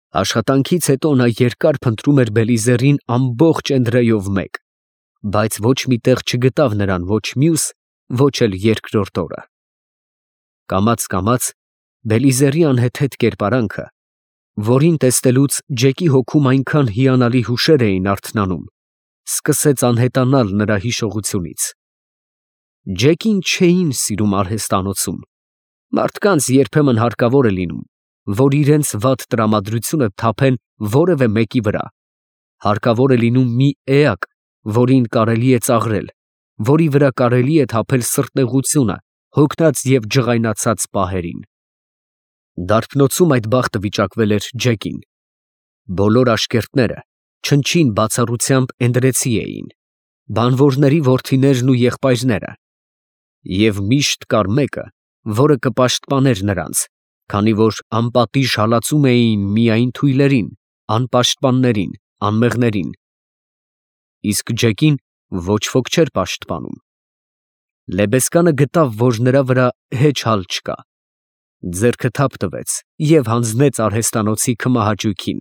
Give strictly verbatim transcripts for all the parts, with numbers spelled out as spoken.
Աշխատանքից հետո նա երկար փնտրում էր Բելիզերին ամբողջ Էնդրեյով մեկ, բայց ոչ մի տեղ չգտավ նրան ոչ մյուս, ոչ էլ երկրորդ օրը։ Կամաց֊կամաց Բելիզերի անհեթեթ կերպարանքը, որին տեսնելուց Ջեկի հոգում այնքան հիանալի հուշեր էին արթնանում, սկսեց անհետանալ նրա հիշողությունից։ Ջեկին չէին սիրում արհեստանոցում, մարդկանց երբեմն հարկավոր է լինում, որ իրենց վատ տրամադրությունը թափեն որևէ մեկի վրա, հարկավոր է լինում մի էակ, որին կարելի է ծաղրել, որի վրա կարելի է թափել սրտնեղությունը հոգնած և ջղայնացած պահերին։ Դարբնոցում այդ բախտը վիճակվել էր Ջեկին։ Բոլոր աշկերտները չնչին բացառությամբ էնդրեցի էին, բանվորների որդիներն ու եղբայրները, և միշտ կար մեկը, որը կպաշտպաներ նրանց, քանի որ անպատիժ հալածում էին միայն թույլերին, անպաշտպաններին, անմեղներին, իսկ Ջեկին ոչ ոք չէր պաշտպանում։ Լեբեսկանը գտավ, որ նրա վրա հեչ հալ չկա, ձեռքը թափ տվեց և հանձնեց արհեստանոցի քմահաճույքին,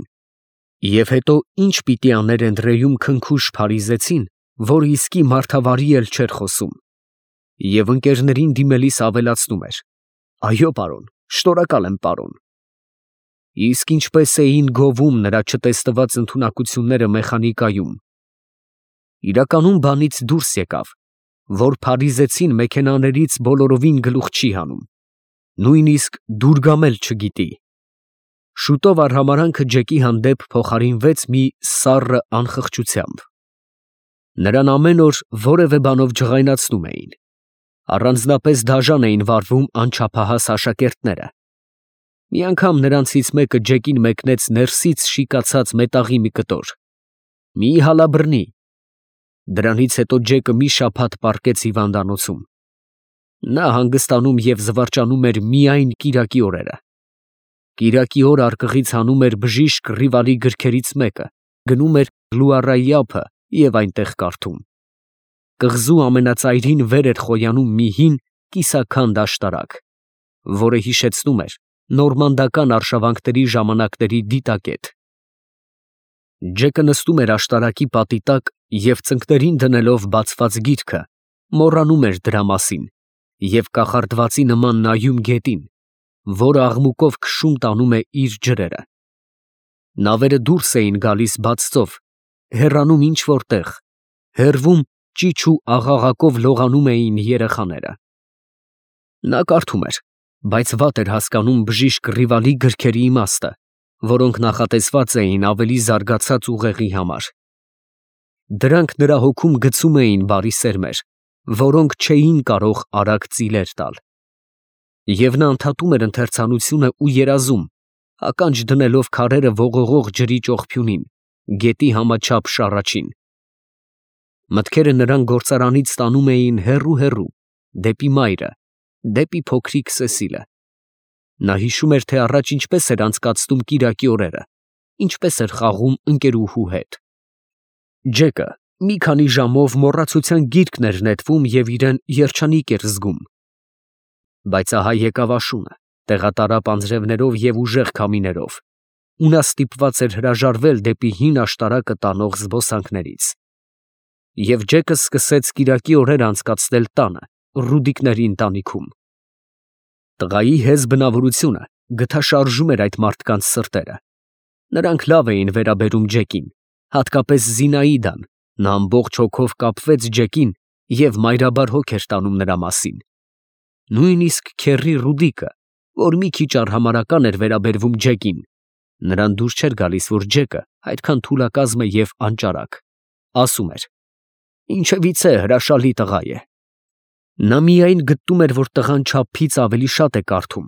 և հետո ինչ պիտի աներ Էնդրեյում քնքուշ փարիզեցին, որ իսկի մարդավարի էլ չէր խոսում, և ընկերներին դիմելիս ավելացնում էր. «Այո, պարոն, շնորհակալ եմ, պարոն»։ Իսկ ինչպես էին գովում նրա չտեսնված ընդունակությունները մեխանիկայում։ Իրականում բանից դուրս եկավ, որ փարիզեցին մեքենաներից բոլորովին գլուխ չի հանում, նույնիսկ դուրգամել չգիտի։ Շուտով արհամարհանքը Ջեկի հանդեպ փոխարինվեց մի սառը անխղճությամբ։ Նրան ամեն օր որևէ բանով ջղայնացնում էին, առանձնապես դաժան էին վարվում անչափահաս աշակերտները։ Մի անգամ նրանցից մեկը Ջեկին մեկնեց ներսից շիկացած մետաղի մի կտոր։ «Մի հալա բռնի»։ Դրանից հետո Ջեկը մի շաբաթ պառկեց հիվանդանոցում։ Նա հանգստանում և զվարճանում էր միայն կիրակի օրերը։ Կիրակի օր արկղից հանում էր բժիշկ Ռիվալի գրքերից մեկը, գնում էր Լուարայի ափը և այնտեղ կարդում։ Կղզու ամենածայրին վեր էր խոյանում մի հին, կիսաքանդ աշտարակ, որը հիշեցնում էր նորմանդական արշավանքների ժամանակների դիտակետ։ Ջեկը նստում էր աշտարակի պատի տակ և ծնկներին դնելով բացված գիրքը, մոռանում էր դրա մասին և կախարդվածի նման նայում գետին, որը աղմուկով քշում տանում է իր ջրերը։ Նավերը դուրս էին գալիս բաց ծով, հեռանում ինչ֊որ տեղ, հեռվում ճիչ ու աղաղակով լողանում էին երեխաները։ Նա կարդում էր, բայց վատ էր հասկանում բժիշկ Ռիվալի գրքերի իմաստը, որոնք նախատեսված էին ավելի զարգացած ուղեղի համար։ Դրանք նրա հոգում գցում էին բարի սերմեր, որոնք չէին կարող արագ ծիլեր տալ։ Եվ նա ընդհատում էր ընթերցանությունը ու երազում, ականջ դնելով քարերը ողողող ջրի ճողփյունին, գետի համաչափ շառաչին։ Մտքերը նրան գործարանից տանում էին հեռու֊հեռու, դեպի մայրը, դեպի փոքրիկ Սեսիլը։ Նա հիշում էր, թե առաջ ինչպես էր անցկացնում կիրակի օրերը, ինչպես էր խաղում ընկերուհու հետ։ Ջեկը մի քանի ժամով մոռացության գիրկն էր նետվում և իրեն երջանիկ էր զգում։ Բայց ահա եկավ աշունը, տեղատարապ անձրևներով և ուժեղ քամիներով, ու նա ստիպված էր հրաժարվել դեպի հին աշտարակը տանող զբոսանքներից։ Եվ Ջեկը սկսեց կիրակի օրերը անցկացնել տանը, Ռուդիկների ընտանիքում։ Տղայի հեզ բնավորությունը գթաշարժում էր այդ մարդկանց սրտերը։ Նրանք լավ էին վերաբերում Ջեկին, հատկապես Զինաիդան, նա ամբողջ հոգով կապվեց Ջեկին և մայրաբար հոգ էր տանում նրա մասին։ Նույնիսկ քեռի Ռուդիկը, որ մի քիչ արհամարհական էր վերաբերվում Ջեկին, նրան դուր չէր գալիս, որ Ջեկը այդքան թուլակազմ է և անճարակ, ասում էր. «Ինչևից է, հրաշալի տղա է»։ Նա միայն գտնում էր, որ տղան չափից ավելի շատ է կարդում,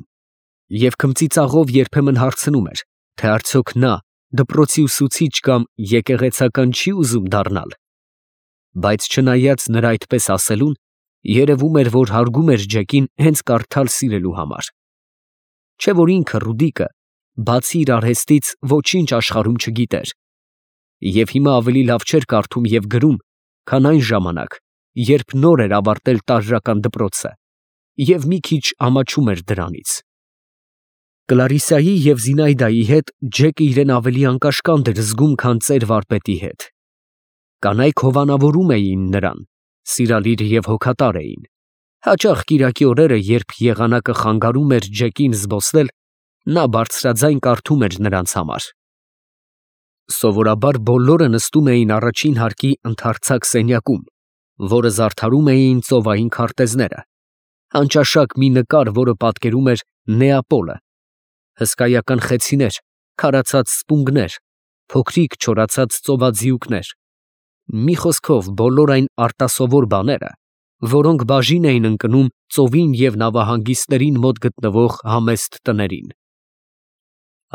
և քմծիծաղով երբեմն հարցնում էր, թե արդյոք նա դպրոցի ուսուցիչ կամ եկեղեցական չի ուզում դառնալ։ Բայց չնայած նրա այդպես ասելուն, երևում էր, որ հարգում էր Ջեկին հենց կարդալ սիրելու համար։ Չէ՞ որ ինքը Ռուդիկը, բացի իր արհեստից, ոչինչ աշխարհում չգիտեր, և հիմա ավելի լավ չէր կարդում և գրում, քան այն ժամանակ, երբ նոր էր ավարտել տարրական դպրոցը և մի քիչ ամաչում էր դրանից։ Կլարիսայի և Զինայդայի հետ Ջեկը իրեն ավելի անկաշկանդ էր զգում, քան ծեր վարպետի հետ։ Կանայք հովանավորում էին նրան, սիրալիր և հոգատար էին։ Հաճախ կիրակի օրերը, երբ եղանակը խանգարում էր Ջեկին զբոսնել, նա բարձրաձայն կարդում էր նրանց համար։ Սովորաբար բոլորը նստում էին առաջին հարկի ընդարձակ սենյակում, որը զարդարում էին ծովային քարտեզները, անճաշակ մի նկար, որը պատկերում էր Նեապոլը, հսկայական խեցիներ, քարացած սպունգներ, փոքրիկ չորացած ծովածիուկներ, մի խոսքով բոլոր այն արտասովոր բաները, որոնք բաժին էին ընկնում ծովին և նավահանգիստներին մոտ գտնվող համեստ տներին։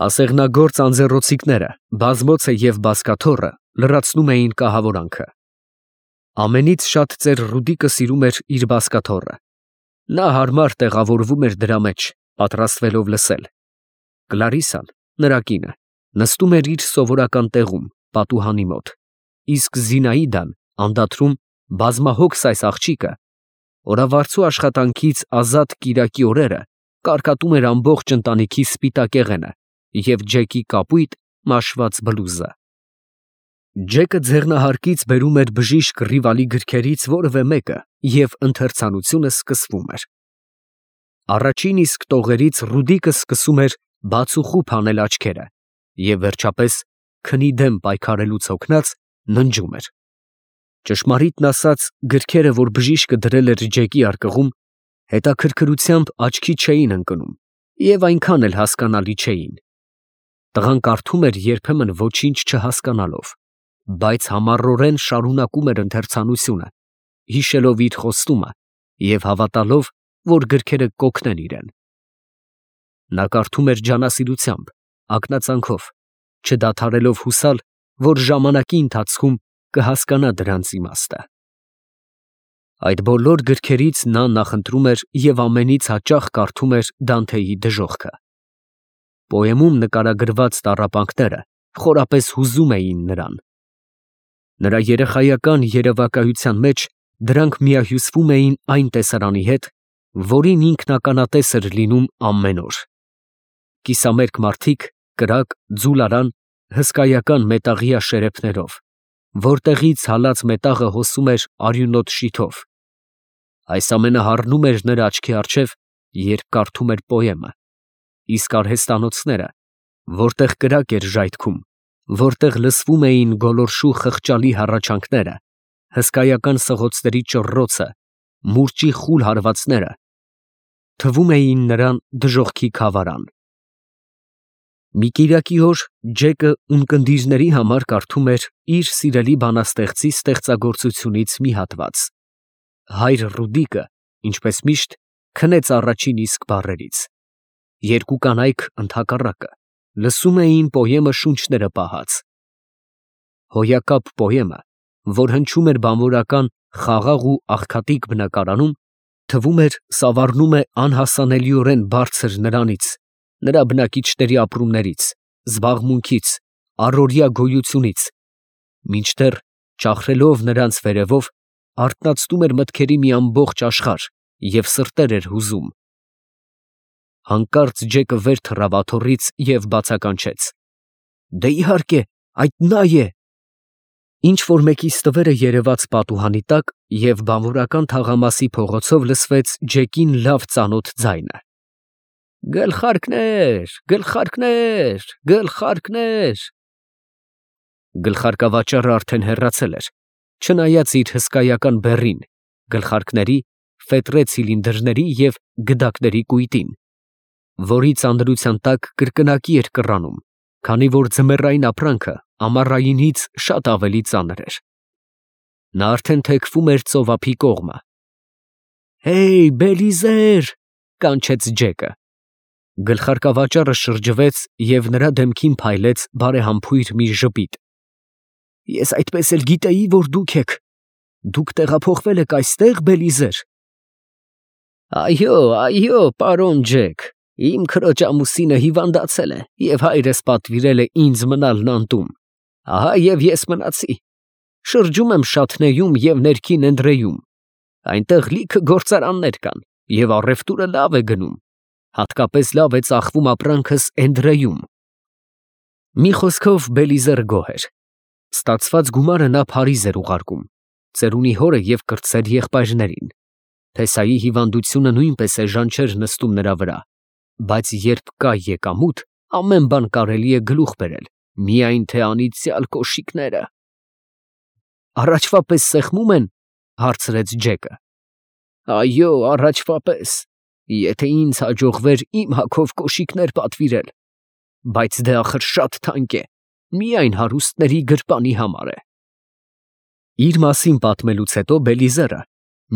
Ասեղնագործ անձեռոցիկները, բազմոցը և բազկաթոռը լրացնում էին կահավորանքը։ Ամենից շատ ծեր Ռուդիկը սիրում էր իր բազկաթոռը։ Նա հարմար տեղավորվում էր դրա մեջ, պատրաստվելով լսել։ Կլարիսան, նրա կինը, նստում էր իր սովորական տեղում, պատուհանի մոտ, իսկ Զինայդան անդադրում, բազմահոգս այս աղջիկը, օրավարձու աշխատանքից ազատ կիրակի օրերը կարկատում էր ամբողջ ընտանիքի սպիտակ եղենը և Ջեկի կապույտ մաշված բլուզը։ Ջեկը ձեռնահարկից բերում էր բժիշկ Ռիվալի գրքերից որևէ մեկը և ընթերցանությունը սկսվում էր։ Առաջին իսկ տողերից Ռուդիկը սկսում էր բացուխուփ անել աչքերը և վերջապես, քնի դեմ պայքարելուց հոգնած, ննջում էր։ Ճշմարիտն ասած, գրքերը, որ բժիշկը դրել էր Ջեկի արկղում, հետաքրքրությամբ աչքի չէին ընկնում և այնքան էլ հասկանալի չէին։ Տղան կարդում էր երբեմն ոչինչ չհասկանալով, բայց համառորեն շարունակում էր ընթերցանությունը, հիշելով իր խոստումը և հավատալով, որ գրքերը կօգնեն իրեն։ Նա կարդում էր ջանասիրությամբ, ակնածանքով, չդադարելով հուսալ, որ ժամանակի ընթացքում կհասկանա դրանց իմաստը։ Այդ բոլոր գրքերից նա նախընտրում էր և ամենից հաճախ կարդում էր Դանթեի դժոխքը։ Պոեմում նկարագրված տառապանքները խորապես հուզում էին նրան։ Նրա երեխայական երևակայության մեջ դրանք միահյուսվում էին այն տեսարանի հետ, որին ինքն ականատես էր լինում ամեն օր։ Կիսամերկ մարդիկ, կրակ, ձուլարան, հսկայական մետաղյա շերեփներով, որտեղից հալած մետաղը հոսում էր արյունոտ շիթով։ Այս ամենը հառնում էր նրա աչքի առջև, երբ կարդում էր պոեմը, իսկ արհեստանոցները, որտեղ կրակ էր ժայթքում, որտեղ լսվում էին գոլորշու խղճալի հառաչանքները, հսկայական սղոցների ճռռոցը, մուրճի խուլ հարվածները, թվում էին նրան դժոխքի քավարան։ Մի կիրակի օր Ջեկը ունկնդիրների համար կարդում էր իր սիրելի բանաստեղծի ստեղծագործությունից մի հատված։ Հայր Ռուդիկը, ինչպես միշտ, քնեց առաջին իսկ բառերից։ Երկու կանայք, ընդհակառակը, լսում էին պոեմը շունչները պահած։ Հոյակապ պոեմը, որ հնչում էր բանվորական խաղաղ ու աղքատիկ բնակարանում, թվում էր սավառնում է անհասանելիորեն բարձր նրանից, նրա բնակիչների ապրումներից, զբաղմունքից, առօրյա գոյությունից, մինչդեռ, ճախրելով նրանց վերևով, արթնացնում էր մտքերի մի ամբողջ աշխարհ և սրտեր էր հուզում։ Հանկարծ Ջեկը վեր թռավ աթոռից և բացականչեց. «Դե իհարկե, այդ նա է»։ Ինչ֊որ մեկի ստվերը երևաց պատուհանի տակ, և բանվորական թաղամասի փողոցով լսվեց Ջեկին լավ ծանոթ ձայնը. «Գլխարկներ, գլխարկներ, գլխարկներ»։ Գլխարկավաճառը արդեն հեռացել էր, չնայած իր հսկայական բեռին, գլխարկների, ֆետրե ցիլինդրների և գդակների կույտին, որի ծանրության տակ կրկնակի էր կռանում, քանի որ ձմեռային ապրանքը ամառայինից շատ ավելի ծանր էր։ Նա արդեն թեքվում էր ծովափի կողմը։ «Հեյ, Բելիզեր», կանչեց Ջեկը։ Գլխարկավաճառը շրջվեց և նրա դեմքին փայլեց բարեհամբույր մի ժպիտ։ «Ես այդպես էլ գիտեի, որ դուք եք։ Դուք տեղափոխվել եք այստե՞ղ, Բելիզեր»։ «Այո, այո, պարոն Ջեք, իմ քրոջ ամուսինը հիվանդացել է և հայրս պատվիրել է ինձ մնալ նանտում, ահա և ես մնացի։ Շրջում եմ Շաթնեյում և ներքին Էնդրեյում, այնտեղ լիքը գործարաններ կան և առևտուրը լավ է գնում։ Հատկապես լավ է ծախվում ապրանքս Էնդրեյում։ Մի խոսքով Բելիզերը գոհ էր։ Ստացված գումարը նա Փարիզ էր ուղարկում, ծերունի հորը և կրտսեր եղբայրներին։ Փեսայի հիվանդությունը նույնպես էժան չէր նստում նրա վրա, բայց երբ կա եկամուտ, ամեն բան կարելի է գլուխ բերել, միայն թե անիծյալ կոշիկները։ Առաջվա պես սեղմում են, հարցրեց Ջեկը։ Այո, առաջվա պես, եթե ինձ հաջողվեր իմ հագով կոշիկներ պատվիրել, բայց դե ախր շատ թանկ է, միայն հարուստների գրպանի համար է։ Իր մասին պատմելուց հետո Բելիզերը,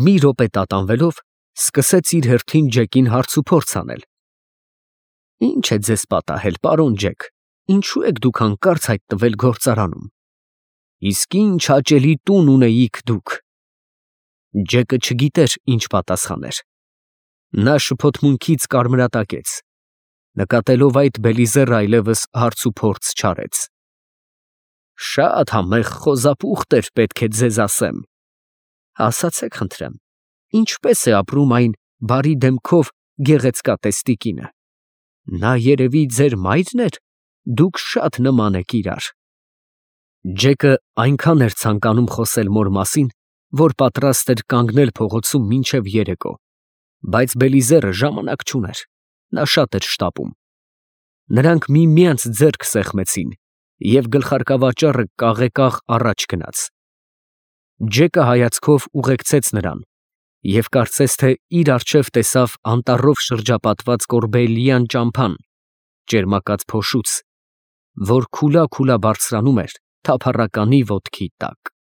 մի րոպե տատանվելով, սկսեց իր հերթին Ջեկին հարց ու փորձ անել։ Ինչ է ձեզ պատահել, պարոն Ջեք, ինչու եք դուք հանկարծ հայտնվել գործարանում։ Իսկ ինչ հաճելի տուն ունեիք դուք։ Ջեկը չգիտեր ինչ պատասխաներ։ Նա շփոթմունքից կարմրատակեց։ Նկատելով այդ, Բելիզերը այլևս հարց ու փորձ չարեց։ Շատ համեղ խոզապուխտ էր, պետք է ձեզ ասեմ։ Ասացեք խնդրեմ, ինչպես է ապրում այն բարի դեմքով գեղեցկատեստի կինը։ Նա երևի ձեր մայրն էր, դուք շատ նման եք իրար։ Ջեկը այնքան էր ցանկանում խոսել մոր մասին, որ պատրաստ էր կանգնել փողոցում մինչև երեկո, բայց Բելիզերը ժամանակ չուներ, նա շատ էր շտապում։ Նրանք միմյանց ձեռք սեղմեցին, և գլխարկավաճառը կաղեկաղ առաջ գնաց։ Ջեկը հայացքով ուղեկցեց նրան և կարծես թե իր առջև տեսավ անտառով շրջապատված կորբելիան ճամփան, ճերմակած փոշուց, որ քուլա֊քուլա բարձրանում էր թափառականի ոտքի տակ։